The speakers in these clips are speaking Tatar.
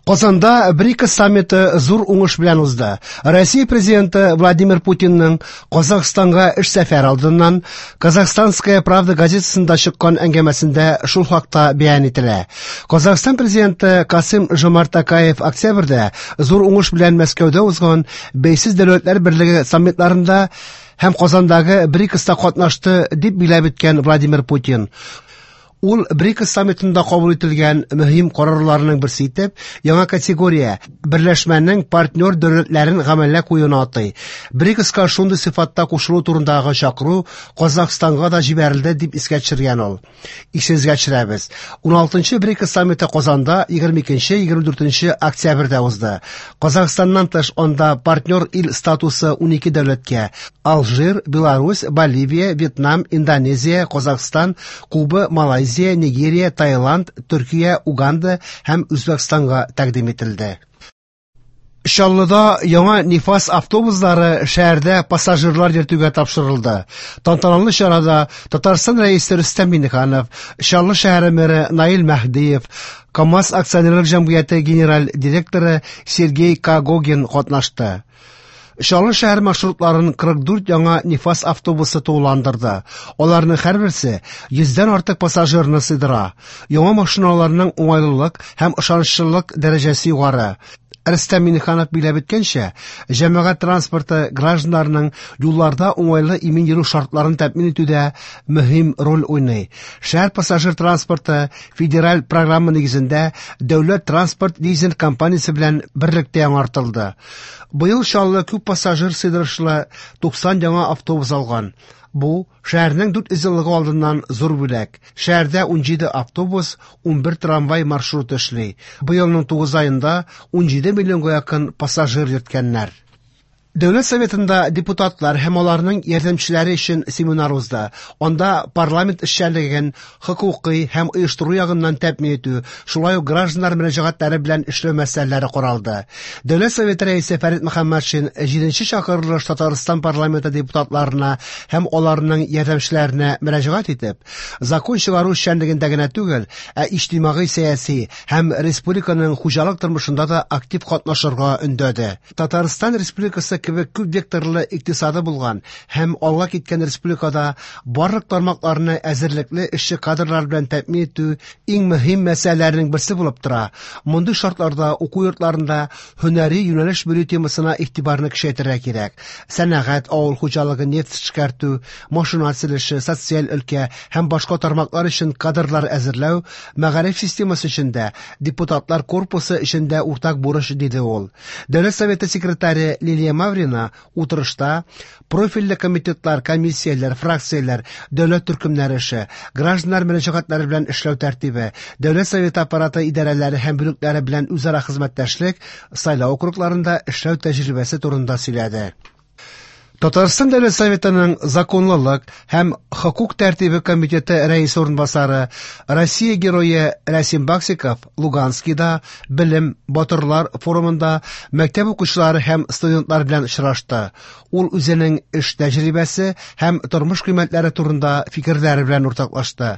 Казанда БРИКС саммиты зур уңыш белән узды. Россия президенты Владимир Путинның Казахстанга эш сәфәре алдыннан «Казахстанская правда» газетасында чыккан әңгәмәсендә шул хакта бәян ителә. Казахстан президенты Касым Жомарт Токаев октябрьдә зур уңыш белән Мәскәүдә узган Бәйсез дәүләтләр берлеге саммитларында һәм Казандагы БРИКСта катнашты, дип биләп үткән Владимир Путин. Ул БРИКС саммитында кабул ителгән мөһим карарларның берсе итеп яңа категория берләшмәнең партнер дәүләтләрен гамәлгә куюны атый. БРИКСка шундый сыйфатта кушылу турындагы чакыру Казахстанга да җибәрелде, дип искә төшергән ул. Исегезгә төшерәбез. 16-нчы БРИКС саммиты Казанда 22-24 октябрьдә узды. Казахстаннан тыш анда партнер ил статусы 12 дәүләткә: Алжир, Беларусь, Боливия, Вьетнам, Индонезия, Казахстан, Куба, Малайзия, Нигерия, Таиланд, Төркия, Уганда һәм Үзбәкстанга тәкъдим ителде. Чаллыда яңа Нифас автобуслары шәһәрдә пассажирлар йөртүгә тапшырылды. Тантаналы чарада Татарстан Рәисе Рөстәм Миңнеханов, Чаллы шәһәре мэры Наил Мәһдиев, КАМАЗ акционерлык җәмгыяте генераль директоры Сергей Когогин катнашты. Чаллы шәһәр маршрутларын 44 яңа Нифас автобусы тулыландырды. Аларның һәрберсе 100дән артык пассажирны сыйдыра. Яңа машиналарның уңайлылык һәм ышанычлылык дәрәҗәсе югары. Рөстәм Миңнеханов биләп үткәнчә, җәмәгать транспорты гражданнарның юлларда уңайлы имин йөрү шартларын тәэмин итүдә мөһим роль уйный. Шәһәр пассажир транспорты федераль программа нигезендә дәүләт транспорт лизинг компаниясе белән берлектә яңартылды. Быел Чаллы күп пассажир сыйдырышлы 90 яңа автобус алган. Бу шәһәрнең 400 еллыгы алдыннан зур бүләк. Шәһәрдә 17 автобус, 11 трамвай маршруты эшли. Быелның 9 аенда 17 миллионга якын пассажир йөрткәннәр. Дәүләт Советында депутатлар һәм аларның ярдәмчеләре өчен семинар узды. Анда парламент эшчәнлеген хокукый һәм оештыру ягыннан тәэмин итү, шулай ук гражданнар мөрәҗәгатьләре белән эшләү мәсьәләләре каралды. Дәүләт Советы рәисе Фәрит Мөхәммәтшин 7нче чакырылыш Татарстан парламенты депутатларына һәм аларның ярдәмчеләренә мөрәҗәгать итеп, закон чыгару эшчәнлегендә генә түгел, ә иҗтимагый сәяси һәм республиканың хуҗалык тормышында да актив катнашырга өндәде. Татарстан Республикасы кебек күп векторлы икътисады булган һәм алга киткән республикада барлык тармакларны әзерлекле эшче кадрлар белән тәэмин итү иң мөһим мәсьәләләрнең берсе булып тора. Мондый шартларда уку йортларында һөнәри юнәлеш бирү темасына игътибарны көчәйтергә кирәк. Сәнәгать, авыл хуҗалыгы, нефть эшкәртү, машина төзелеше, социаль өлкә һәм башка тармаклар өчен кадрлар әзерләү мәгариф системасы өчен дә, депутатлар корпусы өчен дә уртак бурыч, диде ул. Дәүләт Советы секретаре Лилия Маврина утырышта профильле комитетлар, комиссияләр, фракцияләр, дәүләт төркемнәре эше, гражданнар мөрәҗәгатьләре белән эшләү тәртибе, Дәүләт Советы аппараты идарәләре һәм бүлекләре белән үзара хезмәттәшлек, сайлау округларында эшләү тәҗрибәсе турында сөйләде. Татарстан Дәүләт Советының законлылык һәм хокук тәртибе комитеты рәисе урынбасары, Россия герое Рәсим Баксиков Луганскида Белем батырлар форумында мәктәп укучылары һәм студентлар белән очрашты. Ул үзенең эш тәҗрибәсе һәм тормыш кыйммәтләре турында фикерләре белән уртаклашты.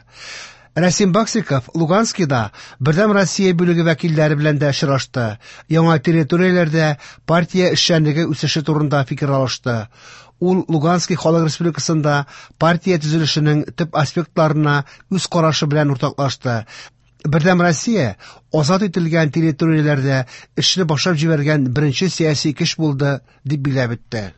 Рәсим Баксиков Луганскида Бердәм Россия бүлеге вәкилләре белән дә очрашты. Яңа территорияләрдә партия эшчәнлеге үсеше турында фикер алышты. Ул Луганский халык республикасында партия төзелешенең төп аспектларына үз карашы белән уртаклашты. Бердәм Россия азат ителгән территорияләрдә эшне башлап җибәргән беренче сәяси көч булды, дип билгеләп үтте.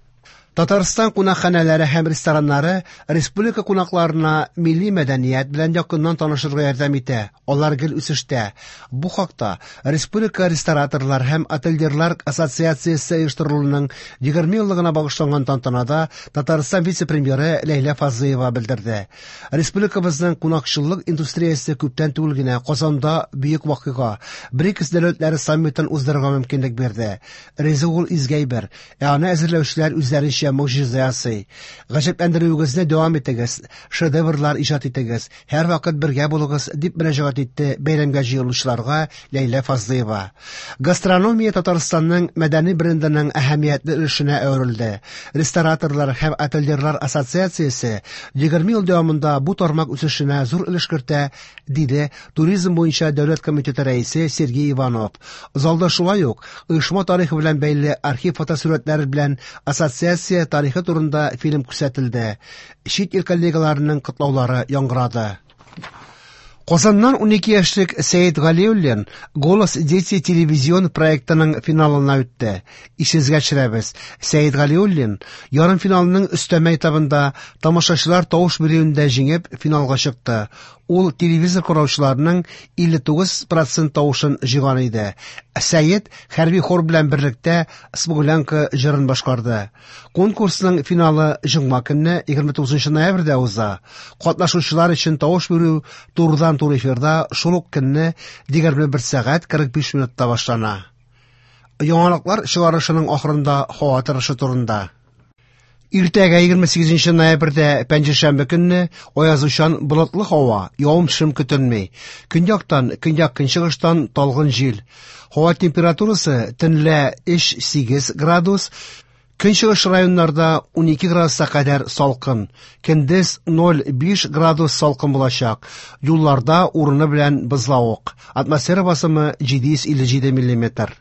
Татарстан кунакханәләре һәм рестораннары республика кунакларына милли мәдәният белән якыннан танышырга ярдәм итә. Алар гел үсештә. Бу хакта Республика рестораторлар һәм отельерлар ассоциациясе оештырылуының 20 еллыгына багышланган тантанада Татарстан вице-премьеры Ләйлә Фазлыева белдерде. Республикабызның кунакчыллык индустриясе күптән түгел генә Казанда бөек вакыйга БРИКС дәүләтләре саммитын уздырырга мөмкинлек бирде. Ризык ул изге әйбер, ә аны әзерләүчеләр үзләренчә гадәттәгечә могҗиза ясый. Гаҗәпләндерүегезне дәвам итегез, шедеврлар иҗат итегез, һәрвакыт бергә булыгыз, дип мөрәҗәгать итте бәйрәмгә җыелучыларга Ләйлә Фазлыева. Гастрономия Татарстанның мәдәни брендының әһәмиятле өлешенә әверелде. Рестораторлар һәм отельерлар ассоциациясе 20 ел дәвамында бу тармак үсешенә зур өлеш кертә, диде Туризм буенча дәүләт комитеты рәисе Сергей Иванов. Залда шулай ук оешма тарихы белән бәйле архив фотосурәтләре белән ассоциация тарихы турында фильм күрсәтелде. Чит ил коллегаларының котлаулары яңгырады. Казаннан 12 яшьлек Сәет Галиуллин «Голос дети» телевизион проектының финалына үтте. Исегезгә төшерәбез, Сәет Галиуллин ярымфиналның өстәмә этабында тамашачылар тавыш бирүендә җиңеп финалга чыкты. Ул телевизор караучыларның 59 процент тавышын җыйган иде. Сәет хәрби хор белән берлектә «Смуглянка» җырын башкарды. Конкурсның финалы җомга көнне 29 ноябрьдә уза. Катнашучылар өчен тавыш бирү турыдан-туры эфирда шул ук көнне 21 сәгать 45 минутта башлана. Яңалыклар чыгарышының ахырында һава торышы турында. Иртәгә 28 ноябрьдә пәнҗешәмбе көнне аязучан болытлы һава, явым-төшем көтелми. Көньяктан, көньяк-көнчыгыштан талгын җил. Һава температурасы төнлә 3-8 градус, көнчыгыш районнарда 12 градуска кадәр салкын. Көндез 0,5 градус салкын булачак. Юлларда урыны белән бозлавык. Атмосфера басымы 757 миллиметр.